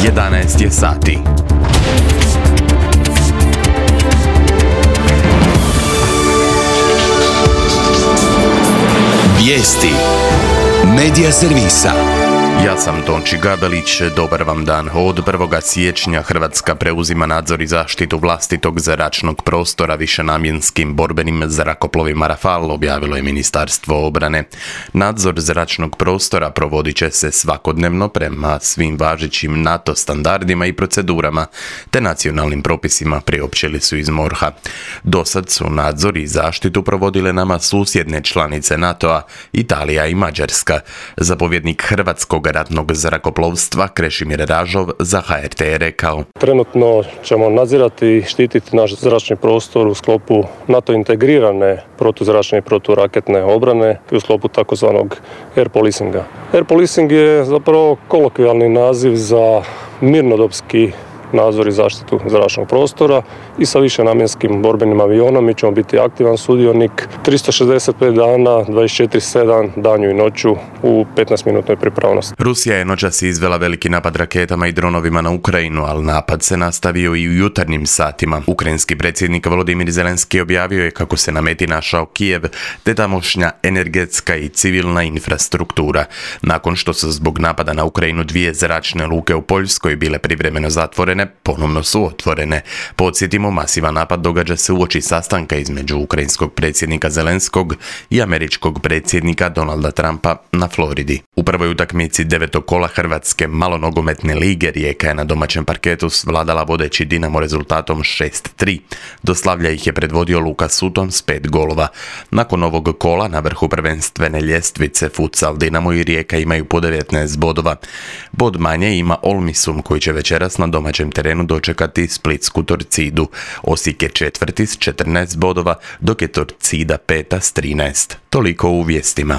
11 je sati. Vijesti Medija servisa. Ja sam Tonči Gabelić, dobar vam dan. Od 1. siječnja Hrvatska preuzima nadzor i zaštitu vlastitog zračnog prostora višenamjenskim borbenim zrakoplovima Rafal, objavilo je Ministarstvo obrane. Nadzor zračnog prostora provodit će se svakodnevno prema svim važećim NATO standardima i procedurama, te nacionalnim propisima, priopćili su iz MORH-a. Dosad su nadzor i zaštitu provodile nama susjedne članice NATO-a, Italija i Mađarska. Zapovjednik Hrvatskog ratnog zrakoplovstva Krešimir Ražov za HRT je rekao: Trenutno ćemo nadzirati i štititi naš zračni prostor u sklopu NATO integrirane protuzračne i proturaketne obrane i u sklopu takozvanog air policinga. Air policing je zapravo kolokvijalni naziv za mirnodopski nadzor i zaštitu zračnog prostora i sa višenamjenskim borbenim avionom mi ćemo biti aktivan sudionik 365 dana, 24/7, danju i noću u 15-minutnoj pripravnosti. Rusija je noćas izvela veliki napad raketama i dronovima na Ukrajinu, ali napad se nastavio i u jutarnjim satima. Ukrajinski predsjednik Volodimir Zelenski objavio je kako se na meti našao Kijev, te tamošnja energetska i civilna infrastruktura. Nakon što su zbog napada na Ukrajinu 2 zračne luke u Poljskoj bile privremeno zatvorene, ponovno su otvorene. Podsjetimo, masivan napad događa se uoči sastanka između ukrajinskog predsjednika Zelenskog i američkog predsjednika Donalda Trumpa na Floridi. U prvoj utakmici 9. kola Hrvatske malonogometne lige Rijeka je na domaćem parketu svladala vodeći Dinamo rezultatom 6-3. Do slavlja ih je predvodio Luka Sutton s 5 golova. Nakon ovog kola na vrhu prvenstvene ljestvice futsal Dinamo i Rijeka imaju po 19 bodova. Bod manje ima Olmisum koji će večeras na domaćem terenu dočekati splitsku Torcidu. Osijek je četvrti s 14 bodova, dok je Torcida peta s 13. Toliko u vijestima.